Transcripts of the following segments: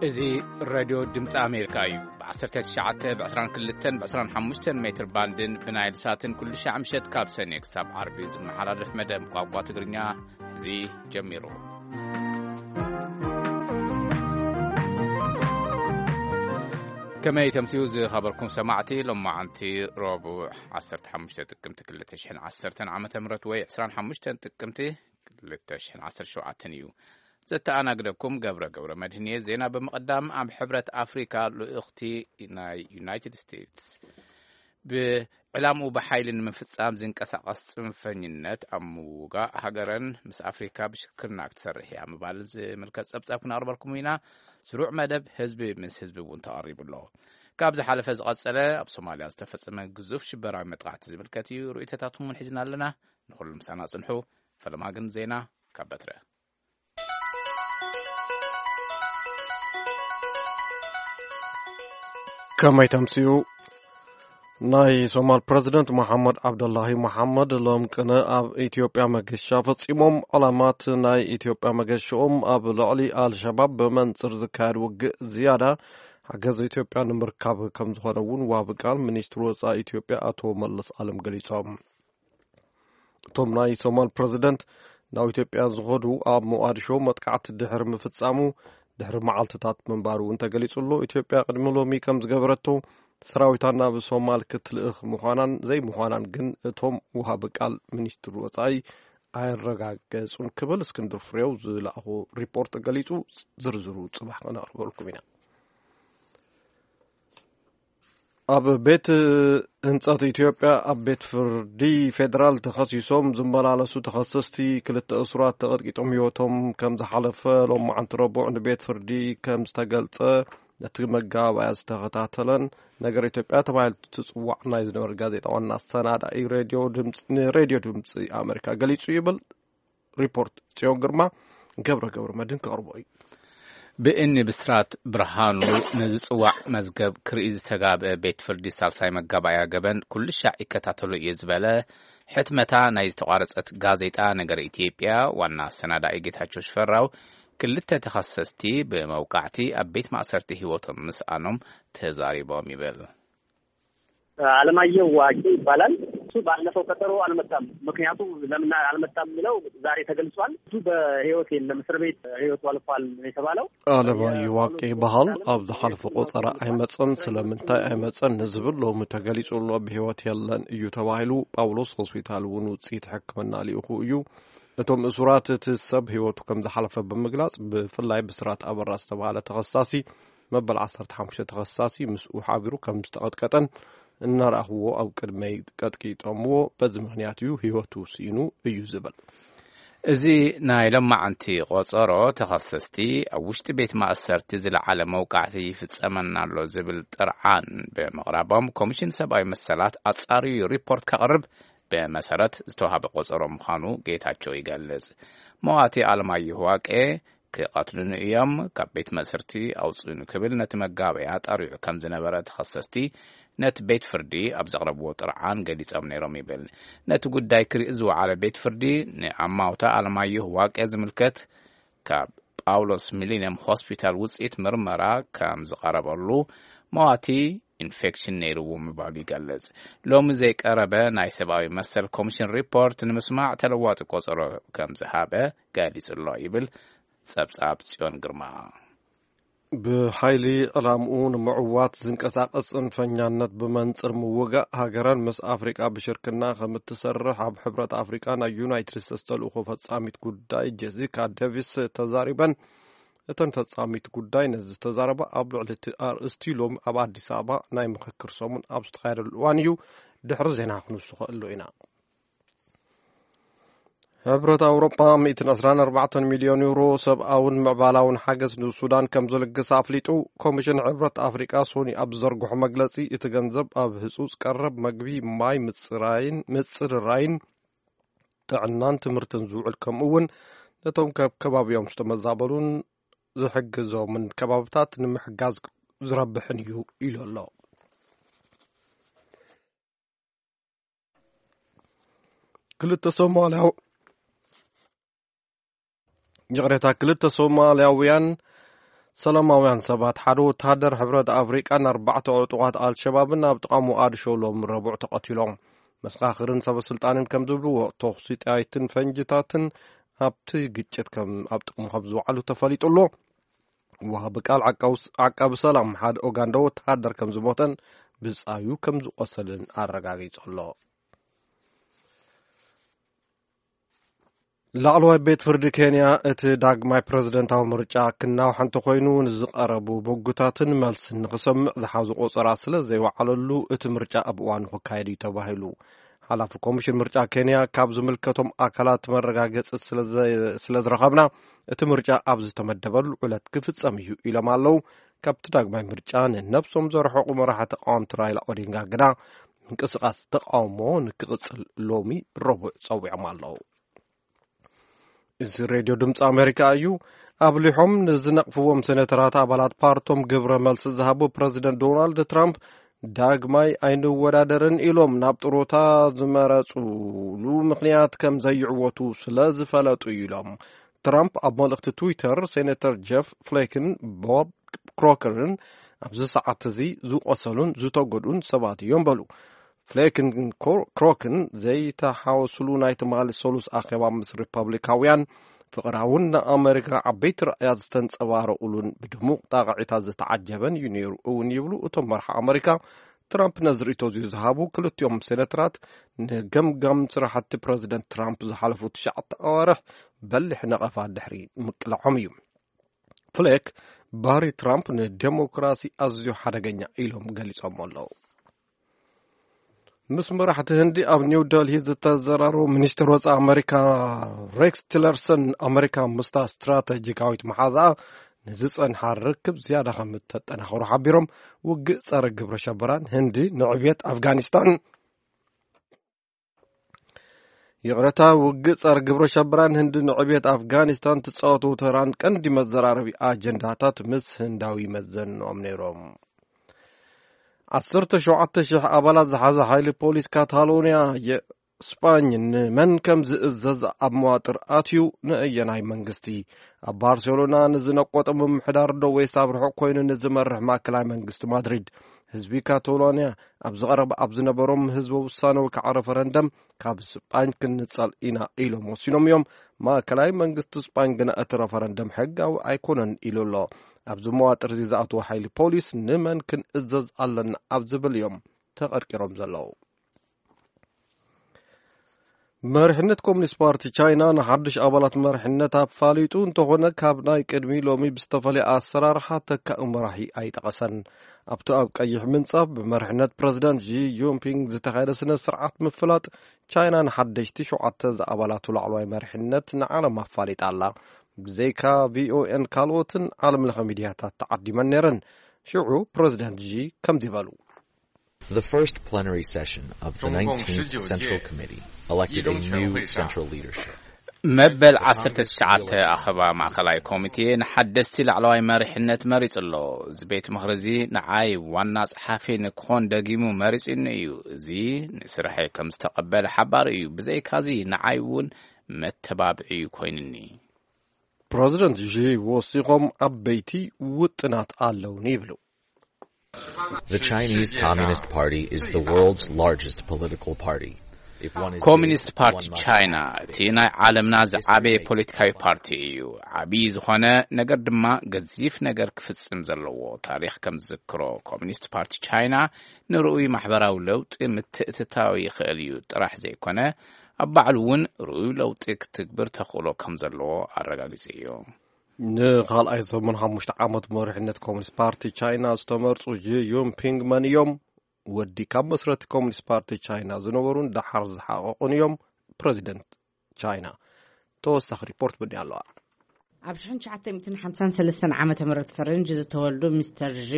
እዚ ሬድዮ ድምፂ ኣሜሪካ እዩ። ብ19፣ ብ22፣ ብ25 ሜትር ባንድን ብናይል ሳትን ኩሉ ሻዕ ምሸት ካብ ሰኔ ክሳብ ዓርቢ ዝመሓላለፍ መደብ ቋንቋ ትግርኛ እዚ ጀሚሩ። ከመይ ተምስዩ ዝኸበርኩም ሰማዕቲ፣ ሎማዓንቲ ረቡዕ 15 ጥቅምቲ 2010 ዓመተ ምህረት ወይ 25 ጥቅምቲ 2017 እዩ። ዘተኣናግደኩም ገብረ ገብረ መድህን እየ። ዜና ብምቕዳም፣ ኣብ ሕብረት ኣፍሪካ ልኡኽቲ ናይ ዩናይትድ ስቴትስ ብዕላምኡ ብሓይሊ ንምፍጻም ዝንቀሳቐስ ጽንፈኝነት ኣብ ምውጋእ ሃገረን ምስ ኣፍሪካ ብሽክርና ክትሰርሕ እያ ምባል ዝምልከት ጸብጻብ ክነቕርበልኩም ኢና። ስሩዕ መደብ ህዝቢ ምስ ህዝቢ እውን ተቐሪቡ ኣሎ። ካብ ዝሓለፈ ዝቐጸለ ኣብ ሶማልያ ዝተፈጸመ ግዙፍ ሽበራዊ መጥቃዕቲ ዝምልከት እዩ። ርእይቶታትኩም እውን ሒዝና ኣለና። ንኹሉ ምሳና ጽንሑ። ፈለማ ግን ዜና ካብ በትረ። ከመይ ተምስዩ? ናይ ሶማል ፕረዚደንት መሓመድ ዓብደላሂ መሓመድ ሎም ቅነ ኣብ ኢትዮጵያ መገሻ ፈጺሞም። ዕላማት ናይ ኢትዮጵያ መገሻኦም ኣብ ልዕሊ ኣልሸባብ ብመንጽር ዝካየድ ውግእ ዝያዳ ሓገዝ ኢትዮጵያ ንምርካብ ከም ዝኾነ እውን ዋቢ ቃል ሚኒስትሪ ወጻኢ ኢትዮጵያ ኣቶ መለስ ኣለም ገሊጾም። እቶም ናይ ሶማል ፕረዚደንት ናብ ኢትዮጵያ ዝኸዱ ኣብ ሞቓዲሾ መጥቃዕቲ ድሕሪ ምፍጻሙ ድሕሪ መዓልትታት ምንባሩ እውን ተገሊጹ ኣሎ። ኢትዮጵያ ቅድሚ ሎሚ ከም ዝገበረቶ ሰራዊታ ናብ ሶማል ክትልእኽ ምዃናን ዘይምዃናን ግን እቶም ውሃቢ ቃል ሚኒስትሪ ወጻኢ ኣየረጋገጹን ክብል እስክንድር ፍሬው ዝለኣኾ ሪፖርት ገሊጹ። ዝርዝሩ ጽባሕ ከነቕርበልኩም ኢና። ኣብ ቤት ህንጸት ኢትዮጵያ ኣብ ቤት ፍርዲ ፌደራል ተኸሲሶም ዝመላለሱ ተኸሰስቲ ክልተ እሱራት ተቐጥቂጦም ህይወቶም ከም ዝሓለፈ ሎማዓንቲ ረቡዕ ንቤት ፍርዲ ከም ዝተገልጸ ነቲ መጋባእያ ዝተኸታተለን ነገር ኢትዮጵያ ተባሂሉ ትጽዋዕ ናይ ዝነበረ ጋዜጣ ዋና ኣሰናዳኢ ሬድዮ ድምፂ፣ ንሬድዮ ድምፂ ኣሜሪካ ገሊጹ ይብል። ሪፖርት ጽዮን ግርማ ገብረ ገብረ መድህን ክቕርቦ እዩ። ብእኒ ብስራት ብርሃኑ ንዝጽዋዕ መዝገብ ክርኢ ዝተጋብአ ቤት ፍርዲ ሳልሳይ መጋባእያ ገበን ኩሉ ሻዕ ይከታተሎ እየ ዝበለ ሕትመታ ናይ ዝተቋረጸት ጋዜጣ ነገር ኢትዮጵያ ዋና ኣሰናዳኢ ጌታቸው ሽፈራው ክልተ ተኸሰስቲ ብመውቃዕቲ ኣብ ቤት ማእሰርቲ ህይወቶም ምስኣኖም ተዛሪቦም ይብል። አለማየሁ ዋቂ ይባላል። እሱ ባለፈው ቀጠሮ አልመጣም። ምክንያቱ ለምን አልመጣም የሚለው ዛሬ ተገልጿል። እሱ በህይወት የለም፣ እስር ቤት ህይወቱ አልፏል ነው የተባለው። ኣለማየሁ ዋቂ ይበሃል። ኣብ ዝሓለፈ ቆጸራ ኣይመጸን። ስለምንታይ ኣይመጸን ንዝብል ሎሚ ተገሊጹ ኣሎ። ብህይወት የለን እዩ ተባሂሉ። ጳውሎስ ሆስፒታል እውን ውጽኢት ሕክምና ልኢኹ እዩ። እቶም እሱራት እቲ ሰብ ህይወቱ ከም ዝሓለፈ ብምግላጽ፣ ብፍላይ ብስራት ኣበራ ዝተባህለ ተኸሳሲ መበል ዓሰርተ ሓሙሽተ ተኸሳሲ ምስኡ ሓቢሩ ከም ዝተቐጥቀጠን እናረኣኽዎ ኣብ ቅድመይ ቀጥቂጦምዎ፣ በዚ ምኽንያት እዩ ህይወቱ ስኢኑ እዩ ዝብል። እዚ ናይ ሎማዓንቲ ቆጸሮ ተኸሰስቲ ኣብ ውሽጢ ቤት ማእሰርቲ ዝለዓለ መውቃዕቲ ይፍጸመና ኣሎ ዝብል ጥርዓን ብምቕራቦም ኮሚሽን ሰብኣዊ መሰላት ኣጻርዩ ሪፖርት ከቕርብ ብመሰረት ዝተዋሃበ ቆጸሮ ምዃኑ ጌታቸው ይገልጽ። መዋቲ ኣለማየሁ ዋቄ ክቐትሉኒ እዮም፣ ካብ ቤት ማእሰርቲ ኣውጽኡኒ ክብል ነቲ መጋበያ ጠሪዑ ከም ዝነበረ ተኸሰስቲ ነቲ ቤት ፍርዲ ኣብ ዘቕረብዎ ጥርዓን ገሊጾም ነይሮም ይብል። ነቲ ጉዳይ ክርኢ ዝወዓለ ቤት ፍርዲ ንኣማውታ ኣለማየሁ ዋቄ ዝምልከት ካብ ጳውሎስ ሚሊኒየም ሆስፒታል ውጽኢት ምርመራ ከም ዝቐረበሉ መዋቲ ኢንፌክሽን ነይርዎ ምባሉ ይገልጽ። ሎሚ ዘይቀረበ ናይ ሰብኣዊ መሰል ኮሚሽን ሪፖርት ንምስማዕ ተለዋጢ ቆጸሮ ከም ዝሃበ ገሊጹ ኣሎ ይብል ጸብጻብ ጽዮን ግርማ። ብሓይሊ ዕላምኡ ንምዕዋት ዝንቀሳቐስ ጽንፈኛነት ብመንጽር ምውጋእ ሃገረን ምስ ኣፍሪቃ ብሽርክና ከም እትሰርሕ ኣብ ሕብረት ኣፍሪቃ ናይ ዩናይትድ ስቴትስ ተልእኾ ፈጻሚት ጉዳይ ጄሲካ ዴቪስ ተዛሪበን። እተን ፈጻሚት ጉዳይ ነዚ ዝተዛረባ ኣብ ልዕሊ እቲ ኣርእስቲ ሎም ኣብ ኣዲስ ኣበባ ናይ ምኽክር ሰሙን ኣብ ዝተኻየደሉ እዋን እዩ። ድሕሪ ዜና ክንውስኸ ኣሎ ኢና። ሕብረት ኣውሮጳ ሚእትን ዕስራን ኣርባዕተን ሚልዮን ዩሮ ሰብኣውን ምዕባላውን ሓገዝ ንሱዳን ከም ዝልግስ ኣፍሊጡ። ኮሚሽን ሕብረት ኣፍሪቃ ሶኒ ኣብ ዝዘርግሖ መግለጺ፣ እቲ ገንዘብ ኣብ ህጹጽ ቀረብ መግቢ፣ ማይ፣ ምጽራይን ምጽርራይን ጥዕናን ትምህርትን ዝውዕል፣ ከምኡ እውን ነቶም ካብ ከባቢኦም ዝተመዛበሉን ዝሕግዞምን ከባብታት ንምሕጋዝ ዝረብሕን እዩ ኢሉ ኣሎ። ክልተ ሶማልያው-፣ ይቕሬታ፣ ክልተ ሶማልያውያን ሰላማውያን ሰባት፣ ሓደ ወተሃደር ሕብረት ኣፍሪቃን ኣርባዕተ ዕጡቓት ኣልሸባብን ኣብ ጥቓ ሞቓድሾ ሎም ረቡዕ ተቐቲሎም። መሰኻኽርን ሰበ ስልጣንን ከም ዝብልዎ፣ ተኹሲ ጥይትን ፈንጅታትን ኣብቲ ግጭት ከም ኣብ ጥቕሚ ከም ዝውዓሉ ተፈሊጡ ኣሎ። ወሃቢ ቃል ዓቃውስ-፣ ዓቃቢ ሰላም ሓደ ኦጋንዳ ወተሃደር ከም ዝሞተን ብጻዩ ከም ዝቆሰልን ኣረጋጊጹ ኣሎ። ላዕለዋይ ቤት ፍርዲ ኬንያ፣ እቲ ዳግማይ ፕረዚደንታዊ ምርጫ ክናዋሕ እንተኾይኑ፣ ንዝቐረቡ በጉታትን መልስን ንኽሰምዕ ዝሓዙ ቆጸራ ስለ ዘይወዓለሉ፣ እቲ ምርጫ ኣብ እዋኑ ክካየድ እዩ ተባሂሉ። ሓላፊ ኮሚሽን ምርጫ ኬንያ፣ ካብ ዝምልከቶም ኣካላት መረጋገጺ ስለ ዘ-፣ ስለ ዝረኸብና፣ እቲ ምርጫ ኣብ ዝተመደበሉ ዕለት ክፍጸም እዩ ኢሎም ኣለዉ። ካብቲ ዳግማይ ምርጫ ንነብሶም ዘርሐቑ መራሒ ተቃወምቲ ራይላ ኦዲንጋ ግና፣ ምንቅስቓስ ተቃውሞ ንክቕጽል ሎሚ ረቡዕ ጸዊዖም ኣለዉ። እዚ ሬድዮ ድምፂ ኣሜሪካ እዩ። ኣብሊሖም ንዝነቕፍዎም ሴኔተራት ኣባላት ፓርቶም ግብረ መልሲ ዝሃቡ ፕረዚደንት ዶናልድ ትራምፕ፣ ዳግማይ ኣይንወዳደርን ኢሎም ናብ ጥሮታ ዝመረፁሉ ምኽንያት ከም ዘይዕወቱ ስለ ዝፈለጡ እዩ ኢሎም። ትራምፕ ኣብ መልእኽቲ ትዊተር፣ ሴኔተር ጀፍ ፍሌክን ቦብ ክሮከርን ኣብዚ ሰዓት እዚ ዝቆሰሉን ዝተጎድኡን ሰባት እዮም በሉ። ፍሌክን ኮ-፣ ክሮክን ዘይተሓወስሉ ናይ ትማሊ ሰሉስ ኣኼባ ምስ ሪፐብሊካውያን፣ ፍቕራውን ንኣመሪካ ዓበይቲ ራእያት ዝተንጸባረቑሉን ብድሙቕ ጣቕዒታት ዝተዓጀበን እዩ ነይሩ እውን ይብሉ እቶም መራሒ ኣመሪካ። ትራምፕ ነዚ ርእይቶ እዚ ዝሃቡ ክልቲኦም ሴነተራት፣ ንገምጋም ስራሕቲ ፕረዚደንት ትራምፕ ዝሓለፉ ትሽዓተ ኣዋርሕ በሊሕ ነቐፋ ድሕሪ ምቅላዖም እዩ። ፍሌክ፣ ባህሪ ትራምፕ ንዴሞክራሲ ኣዝዩ ሓደገኛ ኢሎም ገሊጾም ኣለዉ። ምስ መራሕቲ ህንዲ ኣብ ኒው ደልሂ ዝተዘራረቡ ሚኒስትር ወፃኢ ኣመሪካ ሬክስ ቲለርሰን፣ ኣመሪካ ምስታ ስትራተጂካዊት መሓዛኣ ንዝፀንሓ ርክብ ዝያዳ ከም እተጠናኽሩ ሓቢሮም፣ ውግእ ጸረ ግብረ ሸበራን ህንዲ ንዕብየት ኣፍጋኒስታን፣ ይቕረታ፣ ውግእ ጸረ ግብረ ሸበራን ህንዲ ንዕብየት ኣፍጋኒስታን ትጻወቱ ተራን ቀንዲ መዘራረቢ ኣጀንዳታት ምስ ህንዳዊ መዘንኦም ነይሮም። ዓሰርተ ሸውዓተ ሽሕ ኣባላት ዝሓዘ ሓይሊ ፖሊስ ካታሎንያ፣ የ-፣ ስጳኝ ንመን ከም ዝእዘዝ ኣብ መዋጥር ኣትዩ፣ ንእየናይ መንግስቲ ኣብ ባርሴሎና ንዝነቆጠ ምምሕዳር ዶ ወይስ ኣብ ርሑቕ ኮይኑ ንዝመርሕ ማእከላይ መንግስቲ ማድሪድ? ህዝቢ ካታሎንያ ኣብ ዝቐረበ ኣብ ዝነበሮም ህዝበ ውሳነ ወይ ከዓ ረፈረንደም ካብ ስጳኝ ክንጸል ኢና ኢሎም ወሲኖም እዮም። ማእከላይ መንግስቲ ስጳኝ ግና እቲ ረፈረንደም ሕጋዊ ኣይኮነን ኢሉ ኣሎ። ኣብዚ መዋጥር እዚ ዝኣተወ ሓይሊ ፖሊስ ንመን ክንእዘዝ ኣለና ኣብ ዝብል እዮም ተቐርቂሮም ዘለዉ። መሪሕነት ኮሚኒስት ፓርቲ ቻይና ንሓድሽ ኣባላት መሪሕነት ኣፋሊጡ እንተኾነ፣ ካብ ናይ ቅድሚ ሎሚ ብዝተፈለየ ኣሰራርሓ ተካኢ መራሒ ኣይጠቐሰን። ኣብቲ ኣብ ቀይሕ ምንጻፍ ብመሪሕነት ፕረዚደንት ዢ ጂንፒንግ ዝተኻየደ ስነ ስርዓት ምፍላጥ፣ ቻይና ንሓደሽቲ ሸውዓተ ዝኣባላቱ ላዕለዋይ መሪሕነት ንዓለም ኣፋሊጣ ኣላ። ብዘይካ ቪኦኤን ካልኦትን ዓለም ለኸ ሚድያታት ተዓዲመን ነይረን። ሽዑ ፕረዚደንት ዢ ከምዚ በሉ። The first plenary session of the nineteenth Central Committee elected a new central leadership. መበል ዓሰርተ ትሽዓተ ኣኸባ ማእኸላይ ኮሚቴ ንሓደስቲ ላዕለዋይ መሪሕነት መሪጹ ኣሎ። እዚ ቤት ምኽሪ እዚ ንዓይ ዋና ጸሓፊ ንክኾን ደጊሙ መሪጹኒ እዩ። እዚ ንስርሐይ ከም ዝተቐበለ ሓባሪ እዩ። ብዘይካዚ ንዓይ እውን መተባብዒ እዩ ኮይኑኒ። ፕረዚደንት ዢ ወሲኾም፣ ዓበይቲ ውጥናት ኣለውኒ ይብሉ። The Chinese Communist Party is the world's largest political party. If one is ኮሚኒስት ፓርቲ ቻይና እቲ ናይ ዓለምና ዝዓበየ ፖለቲካዊ ፓርቲ እዩ። ዓብዪ ዝኾነ ነገር ድማ ገዚፍ ነገር ክፍጽም ዘለዎ። ታሪኽ ከም ዝዝክሮ፣ ኮሚኒስት ፓርቲ ቻይና ንርኡይ ማሕበራዊ ለውጢ ምትእትታው ይኽእል እዩ ጥራሕ ዘይኮነ፣ ኣብ ባዕሉ እውን ርኡይ ለውጢ ክትግብር ተኽእሎ ከም ዘለዎ ኣረጋጊጹ እዩ። ንኻልኣይ ሰሙን ሓሙሽተ ዓመት መሪሕነት ኮሚኒስት ፓርቲ ቻይና ዝተመርጹ ጂ ዩንፒንግ መን እዮም? ወዲ ካብ መስረቲ ኮሚኒስት ፓርቲ ቻይና ዝነበሩን ደሓር ዝሓቐቑን እዮም። ፕረዚደንት ቻይና። ተወሳኺ ሪፖርት ብኒ ኣለዋ። ኣብ ሽሕን ትሽዓተ ሚእትን ሓምሳን ሰለስተን ዓመተ ምህረት ፈረንጂ ዝተወልዱ ሚስተር ዢ፣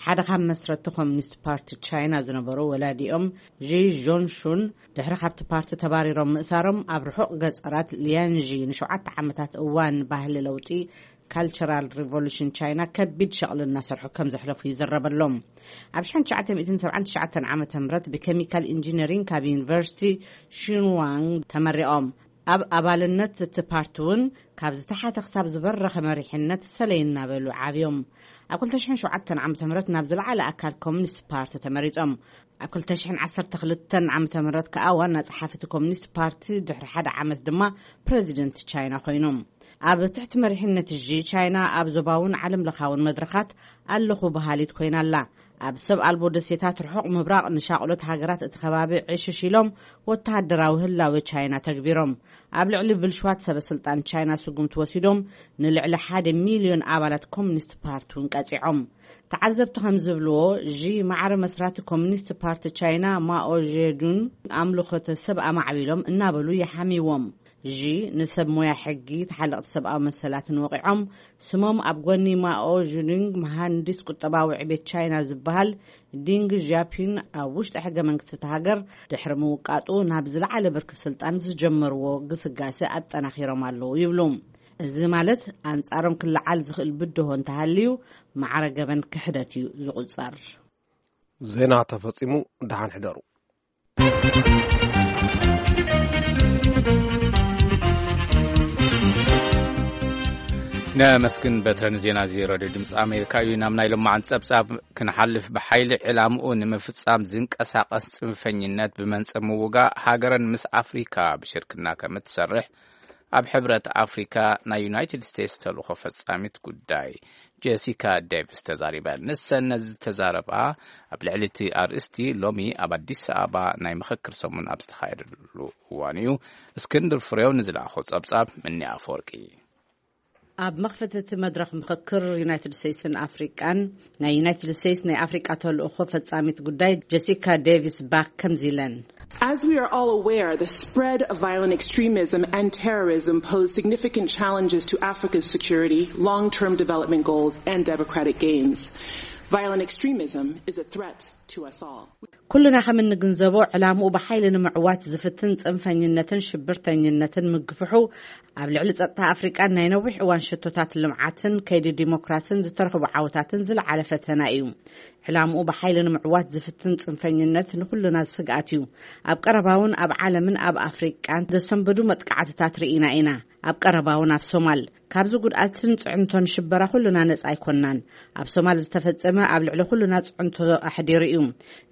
ሓደ ካብ መስረቲ ኮሚኒስት ፓርቲ ቻይና ዝነበሩ፣ ወላዲኦም ዢ ዦንሹን ድሕሪ ካብቲ ፓርቲ ተባሪሮም ምእሳሮም፣ ኣብ ርሑቕ ገጸራት ሊያንዢ ንሸውዓተ ዓመታት እዋን ባህሊ ለውጢ፣ ካልቸራል ሪቮሉሽን ቻይና፣ ከቢድ ሸቕሊ እናሰርሑ ከም ዘሕለፉ ይዝረበሎም። ኣብ ሽሕን ትሽዓተ ሚእትን ሰብዓን ትሽዓተን ዓመተ ምህረት ብኬሚካል ኢንጂነሪንግ ካብ ዩኒቨርሲቲ ሺንዋንግ ተመሪቖም። ኣብ ኣባልነት እቲ ፓርቲ እውን ካብ ዝተሓተ ክሳብ ዝበረኸ መሪሕነት ሰለይ እናበሉ ዓብዮም። ኣብ ክልተ ሽሕን ሸውዓተን ዓመተ ምህረት ናብ ዝለዓለ ኣካል ኮሚኒስት ፓርቲ ተመሪጾም። ኣብ ክልተ ሽሕን ዓሰርተ ክልተን ዓመተ ምህረት ከኣ ዋና ጸሓፊ እቲ ኮሚኒስት ፓርቲ፣ ድሕሪ ሓደ ዓመት ድማ ፕረዚደንት ቻይና ኮይኖም። ኣብ ትሕቲ መሪሕነት ዢ፣ ቻይና ኣብ ዞባውን ዓለም ለኻውን መድረኻት ኣለኹ በሃሊት ኮይና ኣላ። ኣብ ሰብ ኣልቦ ደሴታት ርሑቕ ምብራቕ ንሻቕሎት ሃገራት እቲ ከባቢ ዕሽሽ ኢሎም ወተሃደራዊ ህላወ ቻይና ተግቢሮም። ኣብ ልዕሊ ብልሽዋት ሰበ ስልጣን ቻይና ስጉምቲ ወሲዶም ንልዕሊ ሓደ ሚልዮን ኣባላት ኮሚኒስት ፓርቲ እውን ቀጺዖም። ተዓዘብቲ ከም ዝብልዎ፣ ዢ ማዕረ መስራቲ ኮሚኒስት ፓርቲ ቻይና ማኦ ዜዱን ኣምልኾተ ሰብ ኣማዕቢሎም እናበሉ ይሓምይዎም። ዢ ንሰብ ሞያ ሕጊ፣ ተሓለቕቲ ሰብኣዊ መሰላትን ወቒዖም። ስሞም ኣብ ጎኒ ማኦ ዜዱንግ መሃንዲስ ቁጠባዊ ዕቤት ቻይና ዝበሃል ዲንግ ዣፒን ኣብ ውሽጢ ሕገ መንግስቲ እታ ሃገር ድሕሪ ምውቃጡ ናብ ዝለዓለ ብርኪ ስልጣን ዝጀመርዎ ግስጋሴ ኣጠናኺሮም ኣለዉ ይብሉ። እዚ ማለት ኣንጻሮም ክለዓል ዝኽእል ብድሆ እንተሃልዩ ማዕረ ገበን ክሕደት እዩ ዝቑጸር። ዜና ተፈጺሙ። ደሓን ሕደሩ። ነመስግን በትረ ንዜና እዚ ሬድዮ ድምፂ ኣሜሪካ እዩ። ናብ ናይ ሎማዓን ፀብፃብ ክንሓልፍ፣ ብሓይሊ ዕላምኡ ንምፍፃም ዝንቀሳቐስ ፅንፈኝነት ብመንፅር ምውጋእ ሃገረን ምስ ኣፍሪካ ብሽርክና ከም እትሰርሕ ኣብ ሕብረት ኣፍሪካ ናይ ዩናይትድ ስቴትስ ተልእኾ ፈፃሚት ጉዳይ ጄሲካ ዴቪስ ተዛሪበን። ንሰን ነዚ ዝተዛረባ ኣብ ልዕሊ እቲ ኣርእስቲ ሎሚ ኣብ ኣዲስ ኣበባ ናይ ምኽክር ሰሙን ኣብ ዝተኻየደሉ እዋን እዩ። እስክንድር ፍሬው ንዝለኣኾ ጸብጻብ ምኒ ኣፈወርቂ። ኣብ መኽፈቲ እቲ መድረኽ ምኽክር ዩናይትድ ስቴትስን ኣፍሪቃን፣ ናይ ዩናይትድ ስቴትስ ናይ ኣፍሪቃ ተልእኾ ፈጻሚት ጉዳይ ጀሲካ ዴቪስ ባክ ከምዚ ኢለን። As we are all aware, the spread of violent extremism and terrorism pose significant challenges to Africa's security, long-term development goals, and democratic gains. Violent extremism is a threat to us all. ኩልና ከም እንግንዘቦ፣ ዕላምኡ ብሓይሊ ንምዕዋት ዝፍትን ጽንፈኝነትን ሽብርተኝነትን ምግፍሑ፣ ኣብ ልዕሊ ጸጥታ ኣፍሪቃን ናይ ነዊሕ እዋን ሽቶታት ልምዓትን ከይዲ ዲሞክራስን ዝተረኽቡ ዓወታትን ዝለዓለ ፈተና እዩ። ዕላምኡ ብሓይሊ ንምዕዋት ዝፍትን ጽንፈኝነት ንኹልና ስግኣት እዩ። ኣብ ቀረባ እውን ኣብ ዓለምን ኣብ ኣፍሪቃን ዘሰንብዱ መጥቃዕትታት ርኢና ኢና። ኣብ ቀረባ እውን ኣብ ሶማል። ካብዚ ጉድኣትን ጽዕንቶን ሽበራ ኩልና ነጻ ኣይኮናን። ኣብ ሶማል ዝተፈጸመ ኣብ ልዕሊ ኩልና ጽዕንቶ ኣሕዲሩ እዩ።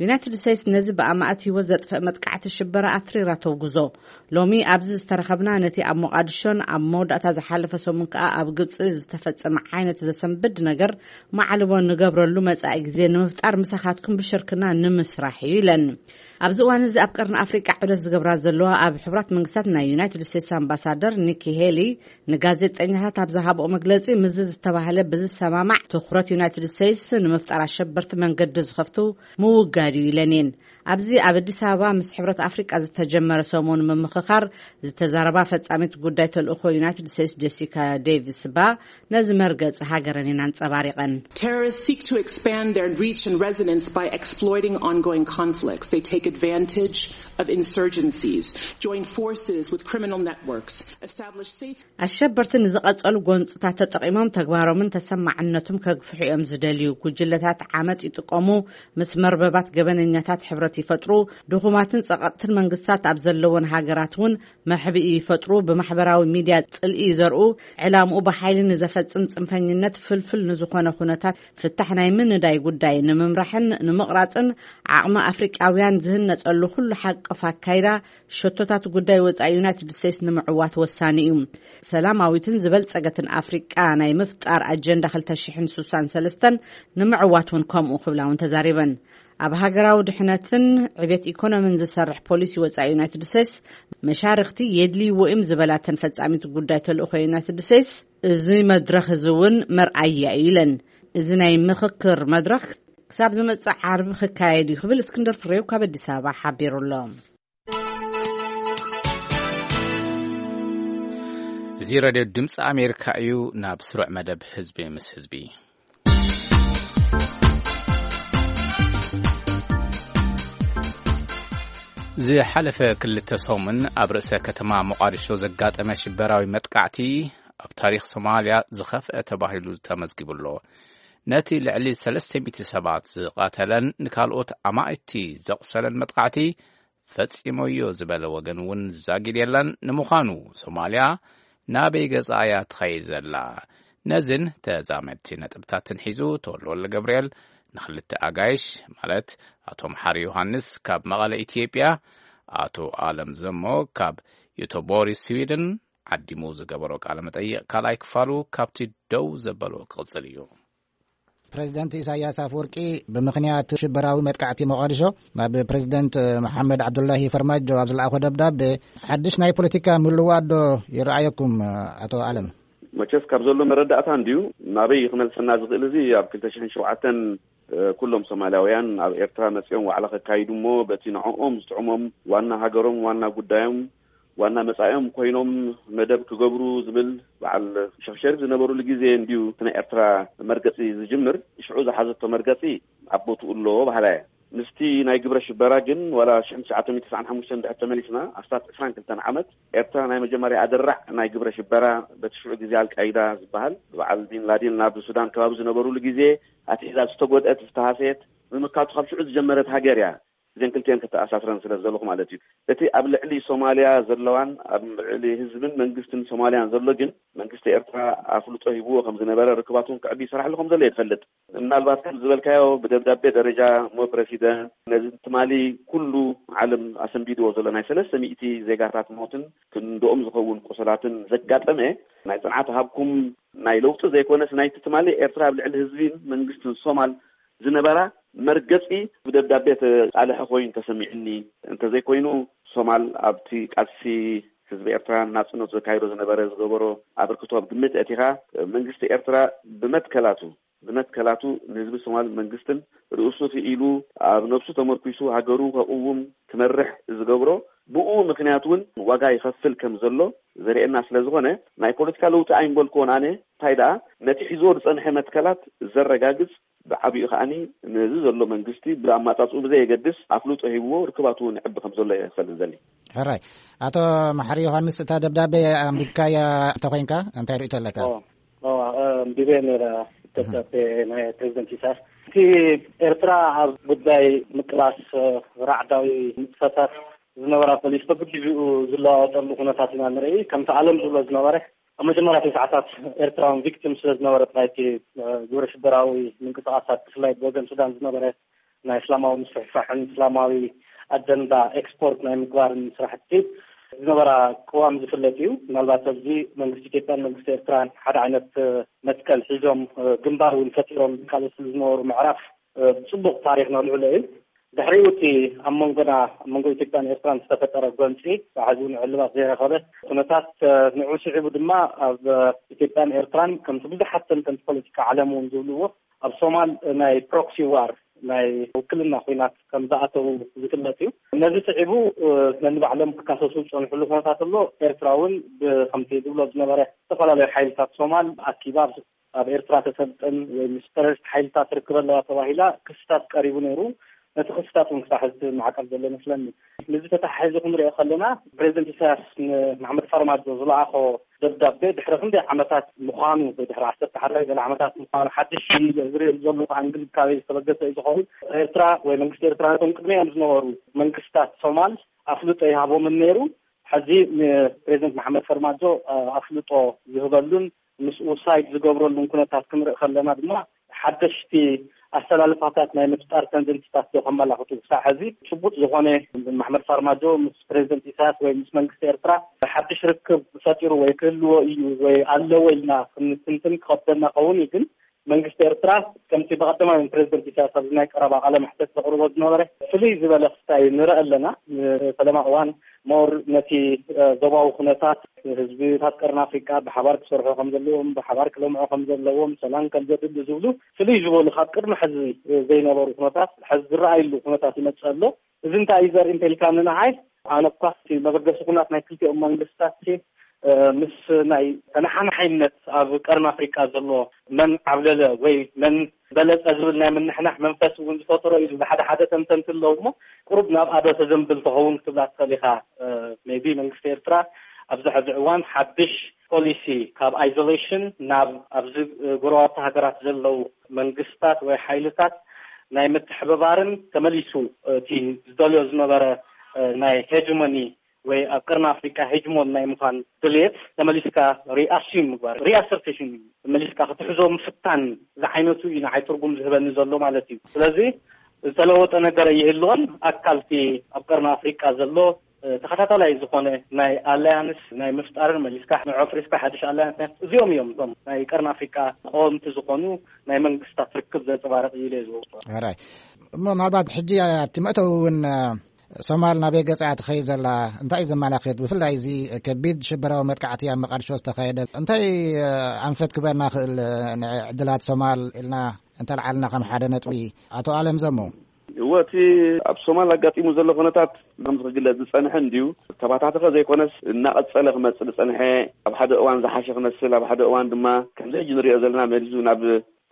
ዩናይትድ ስቴትስ ነዚ ብኣማእት ህይወት ዘጥፍእ መጥቃዕቲ ሽበራ ኣትሪራ ተውግዞ። ሎሚ ኣብዚ ዝተረኸብና፣ ነቲ ኣብ ሞቓድሾን ኣብ መወዳእታ ዝሓለፈ ሰሙን ከኣ ኣብ ግብጺ ዝተፈጸመ ዓይነት ዘሰንብድ ነገር ማዕልቦ ንገብረሉ መጻኢ ግዜ ንምፍጣር ምሳኻትኩም ብሽርክና ንምስራሕ እዩ ኢለን። ኣብዚ እዋን እዚ ኣብ ቀርኒ ኣፍሪቃ ዑደት ዝገብራ ዘለዋ ኣብ ሕቡራት መንግስታት ናይ ዩናይትድ ስቴትስ ኣምባሳደር ኒኪ ሄሊ ንጋዜጠኛታት ኣብ ዝሃብኦ መግለጺ፣ ምስዚ ዝተባህለ ብዝሰማማዕ ትኹረት ዩናይትድ ስቴትስ ንምፍጣር ኣሸበርቲ መንገዲ ዝኸፍቱ ምውጋድ እዩ ኢለን እየን። ኣብዚ ኣብ ኣዲስ ኣበባ ምስ ሕብረት ኣፍሪቃ ዝተጀመረ ሰሙን ምምኽኻር ዝተዛረባ ፈጻሚት ጉዳይ ተልእኾ ዩናይትድ ስቴትስ ጀሲካ ዴቪስ ባ፣ ነዚ መርገጺ ሃገረን እየን ኣንጸባሪቐን። Terrorists seek to expand their reach and resonance by exploiting ongoing conflicts. They take advantage of insurgencies, join forces with criminal networks, establish safe ኣሸበርቲ ንዝቐጸሉ ጎንጽታት ተጠቒሞም ተግባሮምን ተሰማዕነቱም ከግፍሑ እዮም ዝደልዩ። ጉጅለታት ዓመጽ ይጥቀሙ፣ ምስ መርበባት ገበነኛታት ሕብረት ይፈጥሩ፣ ድኹማትን ጸቐጥትን መንግስታት ኣብ ዘለወን ሃገራት እውን መሕብኢ ይፈጥሩ፣ ብማሕበራዊ ሚድያ ጽልኢ ይዘርኡ፣ ዕላምኡ ብሓይሊ ንዘፈጽም ጽንፈኝነት ፍልፍል ንዝኾነ ኩነታት ፍታሕ ናይ ምንዳይ ጉዳይ ንምምራሕን ንምቕራጽን ዓቕሚ ኣፍሪቃውያን ዝህነጸሉ ኩሉ ሓቅፍ ኣካይዳ ሸቶታት ጉዳይ ወጻኢ ዩናይትድ ስቴትስ ንምዕዋት ወሳኒ እዩ። ሰላማዊትን ዝበልጸገትን ኣፍሪቃ ናይ ምፍጣር ኣጀንዳ ክልተ ሽሕን ስሳን ሰለስተን ንምዕዋት እውን ከምኡ ክብላ እውን ተዛሪበን። ኣብ ሃገራዊ ድሕነትን ዕቤት ኢኮኖሚን ዝሰርሕ ፖሊሲ ወጻኢ ዩናይትድ ስቴትስ መሻርኽቲ የድልይዎ እዮም ዝበላተን ፈጻሚት ጉዳይ ተልእኾ ዩናይትድ ስቴትስ፣ እዚ መድረኽ እዚ እውን መርኣያ እዩ ኢለን። እዚ ናይ ምኽክር መድረኽ ክሳብ ዝመጽእ ዓርቢ ክካየድ እዩ ክብል እስክንድር ፍሬው ካብ ኣዲስ ኣበባ ሓቢሩ ኣሎ። እዚ ሬድዮ ድምፂ ኣሜሪካ እዩ። ናብ ስሩዕ መደብ ህዝቢ ምስ ህዝቢ። ዝሓለፈ ክልተ ሰሙን ኣብ ርእሰ ከተማ ሞቓዲሾ ዘጋጠመ ሽበራዊ መጥቃዕቲ ኣብ ታሪኽ ሶማልያ ዝኸፍአ ተባሂሉ ተመዝጊቡ ኣሎ። ነቲ ልዕሊ ሰለስተ ሚእቲ ሰባት ዝቐተለን ንካልኦት ኣማኢቲ ዘቑሰለን መጥቃዕቲ ፈጺሞዮ ዝበለ ወገን እውን ዛጊድ የለን። ንምዃኑ ሶማልያ ናበይ ገጻ እያ ትኸይድ ዘላ? ነዝን ተዛመድቲ ነጥብታትን ሒዙ ተወልደ ወልደ ገብርኤል ንኽልተ ኣጋይሽ፣ ማለት ኣቶ መሓሪ ዮሃንስ ካብ መቐለ ኢትዮጵያ፣ ኣቶ ኣለም ዘሞ ካብ ዮቶቦሪ ስዊድን ዓዲሙ ዝገበሮ ቃለ መጠይቕ ካልኣይ ክፋሉ ካብቲ ደው ዘበሎ ክቕጽል እዩ። ፕሬዚደንት ኢሳያስ ኣፈወርቂ ብምኽንያት ሽበራዊ መጥቃዕቲ ሞቓዲሾ ናብ ፕሬዚደንት መሓመድ ዓብዱላሂ ፈርማጆ ኣብ ዝለኣኾ ደብዳቤ ሓድሽ ናይ ፖለቲካ ምልዋጥ ዶ ይረኣየኩም? ኣቶ ኣለም። መቸስ ካብ ዘሎ መረዳእታ እንድዩ ናበይ ክመልሰና ዝኽእል፣ እዚ ኣብ ክልተ ሽሕን ሸውዓተን ኩሎም ሶማልያውያን ኣብ ኤርትራ መጺኦም ዋዕላ ከካይዱ እሞ በቲ ንዕኦም ዝጥዕሞም ዋና ሃገሮም ዋና ጉዳዮም ዋና መጻኢኦም ኮይኖም መደብ ክገብሩ ዝብል በዓል ሸኽ ሸሪፍ ዝነበሩሉ ግዜ እንድዩ እቲ ናይ ኤርትራ መርገጺ ዝጅምር። ሽዑ ዝሓዘቶ መርገጺ ኣብ ቦትኡ ኣሎ በሃላ እየ። ምስቲ ናይ ግብረ ሽበራ ግን ዋላ ሽሕን ትሽዓተ ሚእትን ተስዓን ሓሙሽተን ድሕር ተመሊስና ኣስታት ዕስራን ክልተን ዓመት ኤርትራ ናይ መጀመርያ ኣደራዕ ናይ ግብረ ሽበራ በቲ ሽዑ ግዜ ኣልቃይዳ ዝበሃል በዓል ቢን ላዲን ናብ ሱዳን ከባቢ ዝነበሩሉ ግዜ ኣትሒዛ ዝተጎድአት ዝተሃሰየት ምምካቱ ካብ ሽዑ ዝጀመረት ሃገር እያ። እዘን ክልቲአን ከተኣሳስረን ስለ ዘለኹ ማለት እዩ። እቲ ኣብ ልዕሊ ሶማልያ ዘለዋን ኣብ ልዕሊ ህዝብን መንግስትን ሶማልያን ዘሎ ግን መንግስቲ ኤርትራ ኣፍልጦ ሂብዎ ከም ዝነበረ ርክባት እውን ክዕቢ ይሰራሕሉ ከም ዘሎ እየ ዝፈልጥ። ምናልባት ከም ዝበልካዮ ብደብዳቤ ደረጃ እሞ ፕረሲደንት ነዚ ትማሊ ኩሉ ዓለም ኣሰንቢድዎ ዘሎ ናይ ሰለስተ ሚእቲ ዜጋታት ሞትን ክንድኦም ዝኸውን ቁሰላትን ዘጋጠመ ናይ ጽንዓት ሃብኩም ናይ ለውጢ ዘይኮነስ ናይቲ ትማሊ ኤርትራ ኣብ ልዕሊ ህዝብን መንግስትን ሶማል ዝነበራ መርገጺ ብደብዳቤ ተቃልሐ ኮይኑ ተሰሚዕኒ። እንተዘይኮይኑ ሶማል ኣብቲ ቃልሲ ህዝቢ ኤርትራ ናጽነቱ ዘካይዶ ዝነበረ ዝገበሮ ኣበርክቶ ኣብ ግምት ኣእቲኻ መንግስቲ ኤርትራ ብመትከላቱ ብመትከላቱ ንህዝቢ ሶማል መንግስትን ርእሱ ክኢሉ ኣብ ነብሱ ተመርኩሱ ሃገሩ ከቅውም ክመርሕ ዝገብሮ ብኡ ምክንያት እውን ዋጋ ይኸፍል ከም ዘሎ ዘርእየና ስለ ዝኾነ ናይ ፖለቲካ ለውጢ ኣይምበልክዎን ኣነ። እንታይ ደኣ ነቲ ሒዝዎ ዝጸንሐ መትከላት ዘረጋግጽ ብዓቢኡ ከዓኒ ነዚ ዘሎ መንግስቲ ብኣማጻጽኡ ብዘየገድስ ኣፍልጦ ሂብዎ ርክባቱ እውን ይዕቢ ከም ዘሎ እየ ክፈልጥ ዘሊ። ሕራይ። ኣቶ መሓሪ ዮሃንስ፣ እታ ደብዳቤ ኣንቢብካያ እንተኾይንካ እንታይ ርእይቶ ኣለካ? ኦ፣ ኦ፣ ኣንቢበ ነይረ ደብዳቤ ናይ ፕሬዚደንት ኢሳያስ። እቲ ኤርትራ ኣብ ጉዳይ ምቅላስ ራዕዳዊ ንጥፈታት ዝነበራ ፖሊሲ በብግዜኡ ዝለዋወጠሉ ኩነታት ኢና ንርኢ። ከምቲ ኣለም ዝብሎ ዝነበረ ኣብ መጀመርያ ሰዓታት ኤርትራውን ቪክቲም ስለ ዝነበረት ናይቲ ግብረ ሽበራዊ ምንቅስቃሳት ብፍላይ ብወገን ሱዳን ዝነበረ ናይ እስላማዊ ምስፍሕፋሕን እስላማዊ ኣጀንዳ ኤክስፖርት ናይ ምግባርን ስራሕቲ ዝነበራ ቅዋም ዝፍለጥ እዩ። ምናልባት ኣብዚ መንግስቲ ኢትዮጵያን መንግስቲ ኤርትራን ሓደ ዓይነት መትከል ሒዞም ግንባር እውን ፈጢሮም ዝቃለሱ ዝነበሩ ምዕራፍ ብፅቡቅ ታሪክ ነልዕሎ እዩ። ድሕሪኡ እቲ ኣብ መንጎና ኣብ መንጎ ኢትዮጵያን ኤርትራን ዝተፈጠረ ጎንፂ ብዓዚኡ ንዕልባት ዘይረኸበ ኩነታት ንዑ ስዒቡ ድማ ኣብ ኢትዮጵያን ኤርትራን ከምቲ ብዙሓት ተንተንቲ ፖለቲካ ዓለም እውን ዝብልዎ ኣብ ሶማል ናይ ፕሮክሲ ዋር ናይ ውክልና ኩናት ከም ዝኣተው ዝፍለጥ እዩ። ነዚ ስዒቡ ነንባዕሎም ክካሰሱ ዝፀንሕሉ ኩነታት ኣሎ። ኤርትራ እውን ብከምቲ ዝብሎ ዝነበረ ዝተፈላለዩ ሓይልታት ሶማል ኣኪባ ኣብ ኤርትራ ተሰልጥን ወይ ምስ ተረሪስት ሓይልታት ርክብ ኣለዋ ተባሂላ ክስታት ቀሪቡ ነይሩ። ነቲ ክስታት እውን ክሳብ ሕዚ ማዕቀብ ዘሎ ይመስለኒ። ነዚ ተተሓሒዙ ክንሪኦ ከለና ፕሬዚደንት ኢሳያስ ንማሕመድ ፋርማጆ ዝለኣኾ ደብዳቤ ድሕሪ ክንደይ ዓመታት ምዃኑ ወይ ድሕሪ ዓሰርተ ሓደ ገለ ዓመታት ምዃኑ ሓድሽ ዝርኢ ዘሎ እንክብካቤ ዝተበገሰ እዩ ዝኸውን። ኤርትራ ወይ መንግስቲ ኤርትራ ነቶም ቅድሚኦም ዝነበሩ መንግስታት ሶማል ኣፍልጦ ይሃቦምን ነይሩ። ሕዚ ንፕሬዚደንት መሓመድ ፈርማጆ ኣፍልጦ ዝህበሉን ምስኡ ሳይድ ዝገብረሉን ኩነታት ክንርኢ ከለና ድማ ሓደሽቲ ኣሰላልፋታት ናይ ምፍጣር ተንደንሲታት ዶ ከመላኽቱ ክሳብ ሕዚ ጭቡጥ ዝኾነ ማሕመድ ፋርማጆ ምስ ፕሬዚደንት ኢሳያስ ወይ ምስ መንግስቲ ኤርትራ ሓድሽ ርክብ ፈጢሩ ወይ ክህልዎ እዩ ወይ ኣለዎ ኢልና ክንትንትን ክኸብደና ከውን እዩ። ግን መንግስቲ ኤርትራ ከምቲ ብቐደማዊ ፕሬዚደንት ኢሳያስ ኣብዚ ናይ ቀረባ ቃለ መሕተት ዘቕርቦ ዝነበረ ፍልይ ዝበለ ክስታይ ንርኢ ኣለና። ፈለማ እዋን ሞር ነቲ ዞባዊ ኩነታት ህዝብታት ቀርኒ ኣፍሪቃ ብሓባር ክሰርሑ ከም ዘለዎም ብሓባር ክለምዑ ከም ዘለዎም ሰላም ከም ዘድሊ ዝብሉ ፍልይ ዝበሉ ካብ ቅድሚ ሕዚ ዘይነበሩ ኩነታት ሕዚ ዝረኣይሉ ኩነታት ይመፅእ ኣሎ። እዚ እንታይ እዩ ዘርኢ እንተልካ ንንዓይ ኣነ እኳ መበገሲ ኩናት ናይ ክልቲኦም መንግስታት ምስ ናይ ተነሓናሓይነት ኣብ ቀርኒ ኣፍሪቃ ዘሎ መን ዓብለለ ወይ መን በለፀ ዝብል ናይ ምንሕናሕ መንፈስ እውን ዝፈጥሮ እዩ ዝብል ሓደ ሓደ ተንተንቲ ኣለዉ እሞ ቁሩብ ናብ ኣዶ ተዘንብል ተኸውን ክትብላ ትኽእል ኢኻ። ሜቢ መንግስቲ ኤርትራ ኣብዚ ሕዚ እዋን ሓድሽ ፖሊሲ ካብ ኣይዞሌሽን ናብ ኣብዚ ጎረባብቲ ሃገራት ዘለዉ መንግስታት ወይ ሓይልታት ናይ ምትሕብባርን ተመሊሱ እቲ ዝደልዮ ዝነበረ እ፣ ናይ ሄጅሞኒ ወይ ኣብ ቀርኒ ኣፍሪቃ ሄጅሞን ናይ ምዃን ድልየት ተመሊስካ ሪኣስዩም ምግባር፣ ሪኣሰርቴሽን እዩ። ተመሊስካ ክትሕዞ ምፍታን ዝዓይነቱ እዩ ንዓይ ትርጉም ዝህበኒ ዘሎ ማለት እዩ። ስለዚ ዝተለወጠ ነገር ኣይህልዎን። ኣካልቲ ኣብ ቀርኒ ኣፍሪቃ ዘሎ፣ እ፣ ተኸታታላይ ዝኾነ ናይ ኣላያንስ ናይ ምፍጣርን መሊስካ ንዖፍሪስካ ሓድሽ ኣላያንስ ናይ እዚኦም እዮም እቶም ናይ ቀርኒ ኣፍሪቃ ቀወምቲ ዝኾኑ ናይ መንግስታት ርክብ ዘንጸባርቕ እዩ ኢለ ዝወስዶ። ሕራይ። እሞ ምናልባት ሕጂ ኣብቲ መእተዊ እውን፣ እ፣ ሶማል ናበይ ገጻ እያ ትኸይድ ዘላ? እንታይ እዩ ዘመላኽት? ብፍላይ እዚ ከቢድ ሽበራዊ መጥቃዕቲ ኣብ መቃድሾ ዝተኻየደ እንታይ፣ እ፣ ኣንፈት ክበና ክእል፣ እ፣ ንዕድላት ሶማል ኢልና እንተልዓልና ከም ሓደ ነጥቢ? ኣቶ ኣለም ዘሞ። እወ፣ እቲ ኣብ ሶማል ኣጋጢሙ ዘሎ ኩነታት ከምዚ ክግለጽ ዝጸንሐ እንድዩ። ተባታተኸ ዘይኮነስ እናቐጸለ ክመጽእ ዝጸንሐ፣ ኣብ ሓደ እዋን ዝሓሸ ክመስል፣ ኣብ ሓደ እዋን ድማ ከምዚ ሕጂ ንሪኦ ዘለና መሊሱ ናብ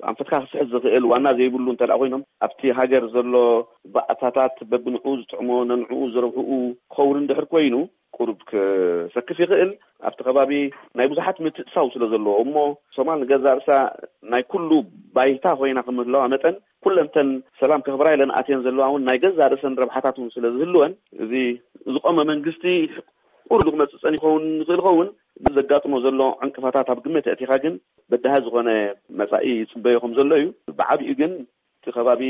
ኣንፈትካ ክስሕት ዝኽእል ዋና ዘይብሉ እንተ ደኣ ኮይኖም፣ ኣብቲ ሃገር ዘሎ ባእታታት በብንዕኡ ዝጥዕሞ፣ ነንዕኡ ዝረብሕኡ ክኸውን እንድሕር ኮይኑ፣ ቁሩብ ክሰክፍ ይኽእል። ኣብቲ ከባቢ ናይ ብዙሓት ምትእሳው ስለ ዘለዎ እሞ፣ ሶማል ንገዛእ ርእሳ ናይ ኩሉ ባይታ ኮይና ከም ምህላዋ መጠን፣ ኩለንተን ሰላም ከኽብራ ኢለን ኣትየን ዘለዋ እውን ናይ ገዛእ ርእሰን ረብሓታት እውን ስለ ዝህልወን፣ እዚ ዝቆመ መንግስቲ ቁሩብ ክመጽእ ጸኒሑ ይኸውን ይኽእል ይኸውን፣ ግን ዘጋጥሞ ዘሎ ዕንቅፋታት ኣብ ግምት ኣእቲኻ ግን በዳሂ ዝኾነ መጻኢ ይጽበዮ ከም ዘሎ እዩ። ብዓቢኡ ግን እቲ ከባቢ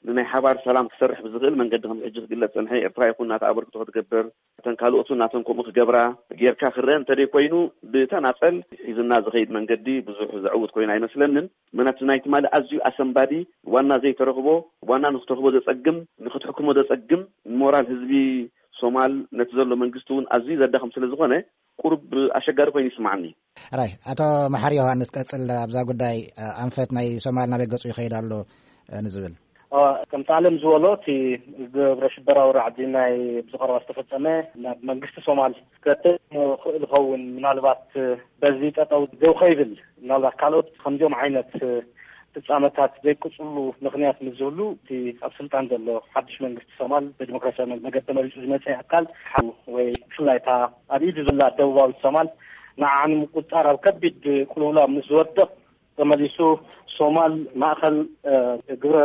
ንናይ ሓባር ሰላም ክሰርሕ ብዝኽእል መንገዲ ከም ሕጂ ክግለጽ ጸንሐ፣ ኤርትራ ይኹን ናታ ኣበርክቶ ክትገብር፣ እተን ካልኦት እውን ናተን ከምኡ ክገብራ ጌርካ ክረአ እንተደይ ኮይኑ፣ ብተናጸል ሒዝና ዝኸይድ መንገዲ ብዙሕ ዘዕውት ኮይኑ ኣይመስለንን። ምክንያቱ ናይ ትማሊ ኣዝዩ ኣሰንባዲ፣ ዋና ዘይተረኽቦ፣ ዋና ንክትረኽቦ ዘጸግም፣ ንክትሕክሞ ዘጸግም፣ ሞራል ህዝቢ ሶማል ነቲ ዘሎ መንግስቲ እውን ኣዝዩ ዘዳኽም ስለ ዝኾነ፣ ቁሩብ ኣሸጋሪ ኮይኑ ይስምዓኒ። ሕራይ፣ ኣቶ መሓሪ ዮሃንስ፣ ቀጽል ኣብዛ ጉዳይ፣ እ፣ ኣንፈት ናይ ሶማል ናበይ ገጹ ይኸይድ ኣሎ፣ እ፣ ንዝብል። እ፣ ከምቲ ኣለም ዝበሎ፣ እቲ ግብረ ሽበራዊ ራዕዲ ናይ ብዝቐረባ ዝተፈጸመ ናብ መንግስቲ ሶማል ክረትዕ ይኽእል ይኸውን። ምናልባት፣ እ፣ በዚ ጠጠው ደው ከይብል፣ ምናልባት ካልኦት ከምዚኦም ዓይነት፣ እ፣ ፍጻመታት ዘይቅጽሉ ምኽንያት ምስ ዝህሉ፣ እቲ ኣብ ስልጣን ዘሎ ሓድሽ መንግስቲ ሶማል ብዲሞክራሲያዊ መገዲ ተመሪጹ ዝመጸ ኣካል ሓው ወይ ብፍላይ እታ ኣብ ኢዱ ዘላ ደቡባዊት ሶማል ንዓኣ ንምቁጽጻር ኣብ ከቢድ ቅልውላው ምስ ዝወድቕ፣ ተመሊሱ ሶማል ማእከል፣ እ፣ ግብረ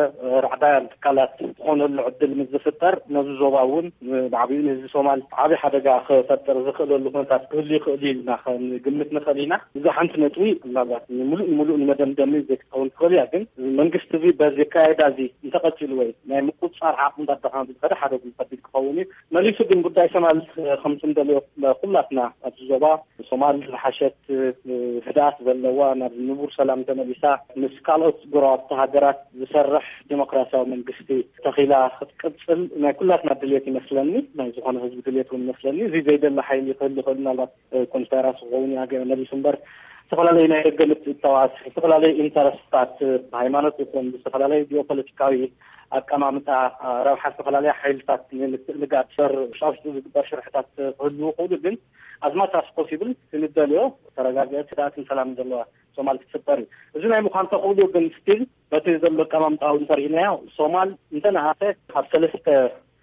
ራዕዳውያን ትካላት ዝኾነሉ ዕድል ምስ ዝፍጠር፣ ነዚ ዞባ እውን ብዓቢኡ ንህዝቢ ሶማል ዓቢ ሓደጋ ክፈጥር ዝኽእለሉ ኩነታት ክህሉ ይኽእል እዩ ኢልና ክንግምት ንኽእል ኢና። እዛ ሓንቲ ነጥቢ ምናልባት ንምሉእ ንምሉእ ንመደምደሚ ዘይክትኸውን ትኽእል እያ፣ ግን መንግስቲ እዚ በዚ ኣካያይዳ እዚ እንተቐጺሉ ወይ ናይ ምቁጽጻር ዓቕሚ እንዳዳኸመ ብዝኸደ ሓደ ከቢድ ክኸውን እዩ። መሊሱ ግን ጉዳይ ሶማል፣ እ፣ ከምቲ እንደልዮ ኩላትና ኣብዚ ዞባ ሶማል ዝሓሸት፣ እ፣ ህድኣት ዘለዋ፣ ናብ ንቡር ሰላም ተመሊሳ፣ ምስ ካልኦት ጎረባብቲ ሃገራት ዝሰርሕ ዲሞክራሲያዊ መንግስቲ ተኺላ ክትቅጽል ናይ ኩላትና ድልየት ይመስለኒ፣ ናይ ዝኾነ ህዝቢ ድልየት እውን ይመስለኒ። እዚ ዘይደሊ ሓይሊ ክህሉ ይኽእል፣ ምናልባት፣ እ፣ ኮንስፓይራሲ ክኸውን ይኣገ መሊሱ እምበር፣ ዝተፈላለዩ ናይ ደገ ምትእትታዋት፣ ዝተፈላለዩ ኢንተረስትታት፣ እ፣ ብሃይማኖት ይኹን ብዝተፈላለዩ ጂኦፖለቲካዊ ኣቀማምጣ፣ እ፣ ረብሓ ዝተፈላለዩ ሓይልታት ንምትእንጋድ በር ውሽጣ ውሽጡ ዝግበር ሽርሕታት፣ እ፣ ክህልዉ ይኽእሉ፣ ግን as much as possible ክንደልዮ ተረጋግአት፣ ህድኣትን ሰላምን ዘለዋ ሶማል ክትፍጠር እዩ። እዚ ናይ ምዃን ተኽእሎ ግን ስቲል በቲ ዘሎ ኣቀማምጣ እውን እንተሪእናዮ፣ ሶማል እንተነኣሰ ካብ ሰለስተ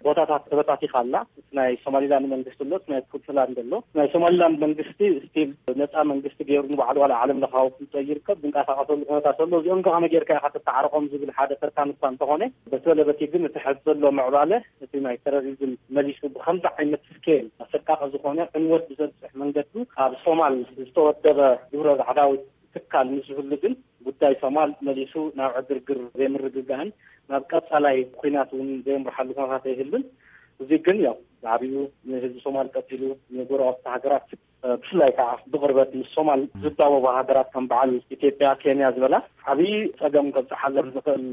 ቦታታት ተበታቲኻ ኣላ። እቲ ናይ ሶማሊላንድ መንግስቲ ኣሎ፣ እቲ ናይ ፑንትላንድ ኣሎ። ናይ ሶማሊላንድ መንግስቲ ስቲል ነፃ መንግስቲ ገይሩ ንባዕሉ ዋላ ዓለም ለኻዊ ፍልጦ ይርከብ፣ ዝንቀሳቐሰሉ ኩነታት ኣሎ። እዚኦም ከ ከመይ ጌርካ ኢኻ ተተዓርቖም ዝብል ሓደ ፈታኒ እኳ እንተኾነ፣ በቲ በለ በቲ ግን እቲ ሕዚ ዘሎ ምዕባለ፣ እቲ ናይ ቴሮሪዝም መሊሱ ብኸምዚ ዓይነት ስኬል ኣሰቃቂ ዝኾነ ዕንወት ብዘብፅሕ መንገዱ ኣብ ሶማል ዝተወደበ ግብረ ራዕዳዊ ትካል ምስ ዝህሉ ግን ጉዳይ ሶማል መሊሱ ናብ ዕግርግር ዘይምርግጋእን ናብ ቀጻላይ ኲናት እውን ዘየምርሓሉ ኩነታት ኣይህሉን። እዚ ግን ያው ብዓቢኡ ንህዝቢ ሶማል ቀጺሉ ንጎረባብቲ ሃገራት፣ እ፣ ብፍላይ ከዓ ብቕርበት ምስ ሶማል ዝዳወባ ሃገራት ከም በዓል ኢትዮጵያ፣ ኬንያ ዝበላ ዓብዪ ጸገም ከብጽሓለን ዝኽእል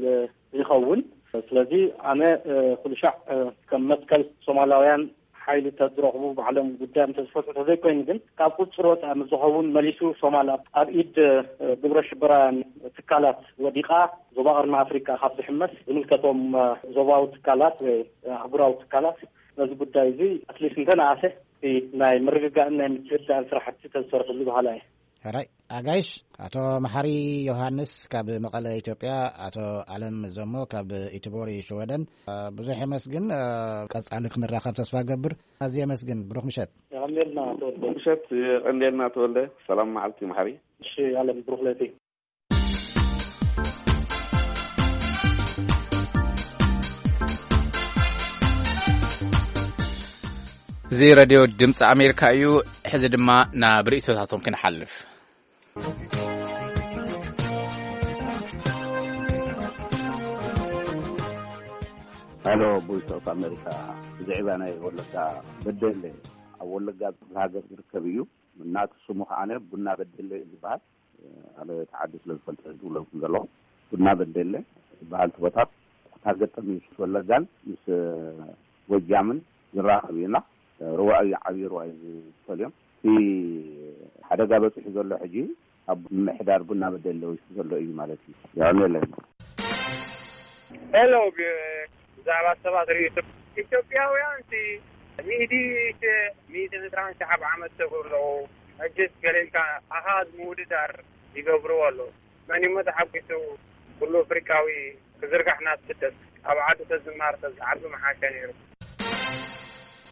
ይኸውን። ስለዚ ኣነ፣ እ፣ ኩሉ ሻዕ፣ እ፣ ከም መትከል ሶማላውያን ሓይሊ ተዝረኽቡ ባዕሎም ጉዳዮም ተዝፈትሑ ተዘይኮይኑ ግን ካብ ቁጽር ወፃኢ ምስ ዝኸውን መሊሱ ሶማል ኣብ፣ ኣብ ኢድ፣ እ፣ ግብረ ሽበራውያን ትካላት ወዲቓ ዞባ ቀርኒ ኣፍሪቃ ካብ ዝሕመስ ዝምልከቶም፣ እ፣ ዞባዊ ትካላት ወይ፣ እ፣ ኣህጉራዊ ትካላት ነዚ ጉዳይ እዚ ኣትሊስት እንተነኣሰ እቲ ናይ ምርግጋእን ናይ ምትህድዳእን ስራሕቲ ተዝሰርሕሉ በሃላ እየ። ሕራይ ኣጋይሽ፣ ኣቶ መሓሪ ዮሃንስ ካብ መቐለ ኢትዮጵያ፣ ኣቶ ኣለም ዘሞ ካብ ኢትቦሪ ሽወደን። ብዙሕ የመስግን። ቀጻሊ ክንራኸብ ተስፋ ገብር። ኣዝየ የመስግን። ብሩኽ ምሸት። የቐንየልና ተወልደ። ምሸት የቐንየልና ተወልደ። ሰላም መዓልቲ መሓሪ። እሺ ኣለም፣ ብሩኽ ለይቲ። እዚ ሬድዮ ድምፂ ኣሜሪካ እዩ። ሕዚ ድማ ናብ ርእይቶታቶም ክንሓልፍ። ሄሎ፣ ቮይስ ኦፍ ኣሜሪካ። ብዛዕባ ናይ ወለጋ በደለ፣ ኣብ ወለጋ ሃገር ዝርከብ እዩ። እናቱ ስሙ ከዓነ ቡና በደለ እዩ ዝበሃል። ኣነ እቲ ዓዲ ስለ ዝፈልጦ ዝብለኩም ዘለኹ። ቡና በደለ ዝበሃል እቲ ቦታ ኩታ ገጠም ምስ ወለጋን ምስ ጎጃምን ዝራኸብ እዩ። እና ሩባ እዩ፣ ዓብዪ ሩባ እዩ ዝፈልዮም። እቲ ሓደጋ በፂሑ ዘሎ ሕጂ ኣብ ምምሕዳር ቡና በደለ ወይስ ዘሎ እዩ ማለት እዩ። የቐንየለይ። ሄሎ፣ ብዛዕባ ሰባት ርእይቶ፣ ኢትዮጵያውያን እቲ ሚእቲ ሸ-፣ ሚእቲ ዕስራን ሸሓብ ዓመት ሰጉር ኣለዉ። ሕጅስ ገለ ኢልካ ኣሃዝ ምውድዳር ይገብርዎ ኣለዉ። መን እሞ ተሓጒሱ ኩሉ ኣፍሪቃዊ ክዝርጋሕ ናብ ስደት? ኣብ ዓዱ ተዝማር ተዝዓቢ ምሓሸ ነይሩ።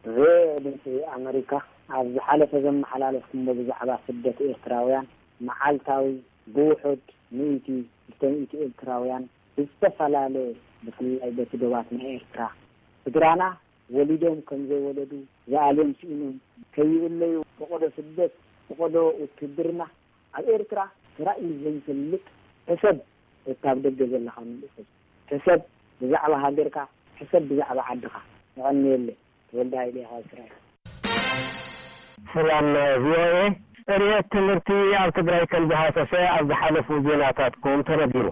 ቪኦኤ ድምፂ ኣመሪካ፣ ኣብ ዝሓለፈ ዘመሓላለፍኩሞ ብዛዕባ ስደት ኤርትራውያን፣ መዓልታዊ ብውሑድ ሚእቲ፣ ክልተ ሚእቲ ኤርትራውያን ብዝተፈላለየ፣ ብፍላይ በቲ ዶባት ናይ ኤርትራ፣ ስድራና ወሊዶም ከም ዘይወለዱ፣ ዝኣልዮም ስኢኖም ከይእለዩ፣ ፈቐዶ ስደት፣ ፈቐዶ ውትድርና፣ ኣብ ኤርትራ ተራእዩ ዘይፈልጥ፣ ሕሰብ፣ እታ ኣብ ደገ ዘለኻ መንእሰይ፣ ሕሰብ ብዛዕባ ሃገርካ፣ ሕሰብ ብዛዕባ ዓድኻ። የቐንየለይ። ተወልደ ሃይለ ካብ እስራኤል። ሰላም ቪኦኤ። ዕብየት ትምህርቲ ኣብ ትግራይ ከም ዝሃሰሰ ኣብ ዝሓለፉ ዜናታትኩም ተነጊሩ።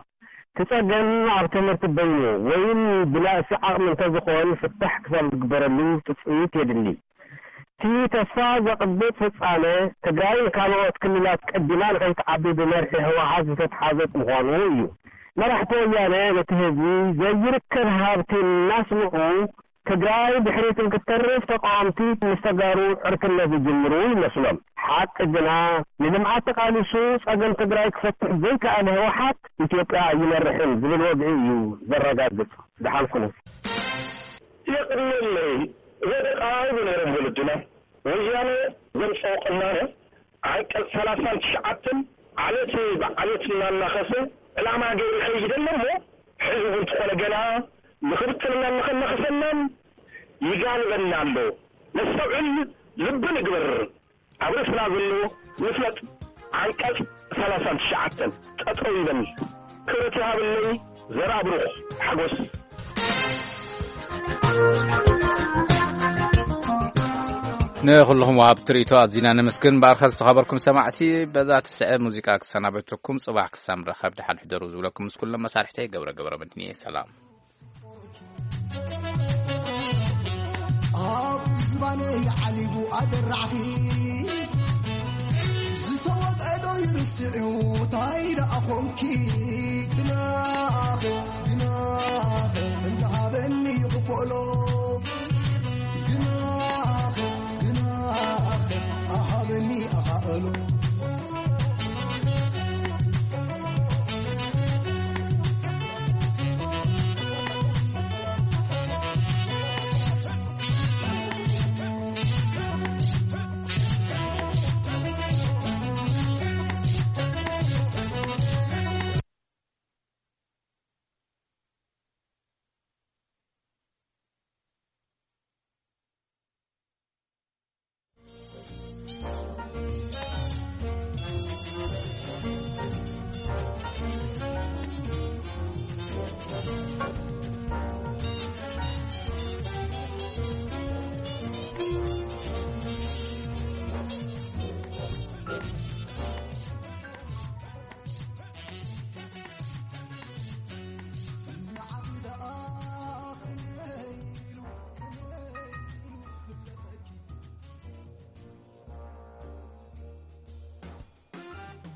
እቲ ጸገም ኣብ ትምህርቲ በይኑ ወይም ብናእሲ ዓቕሚ እንተዝኾን ፍታሕ ክሳብ ዝግበረሉ ትጽቢት የድሊ። እቲ ተስፋ ዘቕብጽ ፍጻመ ትግራይ ንካልኦት ክልላት ቀዲማ ንኸይትዓቢ ብመርሒ ህወሓት ዝተትሓዘ ምዃኑ እዩ። መራሕቲ ወያነ ነቲ ህዝቢ ዘይርከብ ሃብቲ እናስምዑ ትግራይ ድሕሪት እንትተርፍ ተቃወምቲ ምስ ተጋሩ ዕርክነት ዝጅምሩ ይመስሎም። ሓቂ ግና ንልምዓት ተቃሊሱ ጸገም ትግራይ ክፈትሕ ዘይከኣለ ህወሓት ኢትዮጵያ ኣይመርሕን ዝብል ወግዒ እዩ ዘረጋግጽ። ደሓን ኩኑ። የቕንየለይ ወደቓ ይብሉ ነይሮም ወለድና። ወያነ ዘምፀኦ ቅናነ ዓንቀፅ ሰላሳን ትሽዓተን ዓሌት ብዓሌት እናናኸሰ ዕላማ ገይሩ ይኸይድ ኣሎ እሞ ሕዚ እውን እንተኾነ ገና ንኽብትንናን ንኸናኸሰናን ይጋልበና ኣሎ። ነስተውዕል፣ ልቢ ንግበር። ኣብ ርእስና ዘሎ ንፍለጥ። ዓንቀፅ ሰላሳን ትሽዓተን ጠጠው ይበል። ክብረት ይሃበለይ። ዘርኣብሩኽ ሓጎስ። ንኹልኹም ወሃብቲ ርእይቶ ኣዚና ነመስግን። ብኣርኸ ዝተኸበርኩም ሰማዕቲ፣ በዛ ትስዕብ ሙዚቃ ክሰናበተኩም፣ ጽባሕ ክሳብ ንራኸብ ደሓን ሕደሩ ዝብለኩም ምስ ኩሎም መሳርሕተይ ገብረ ገብረ መድህን እየ። ሰላም። ኣብ ዝባነይ ዓሊቡ ኣደራዕኺ ዝተወቕዐ ዶ ይርስዕዩ ታይ ደኣ ኾንኪ ግናኸ ግናኸ እንተሃበኒ ይቕበሎ ግናኸ ግናኸ ኣሃበኒ ኣኻእሎ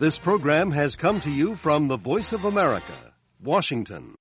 This program has come to you from the Voice of America, Washington.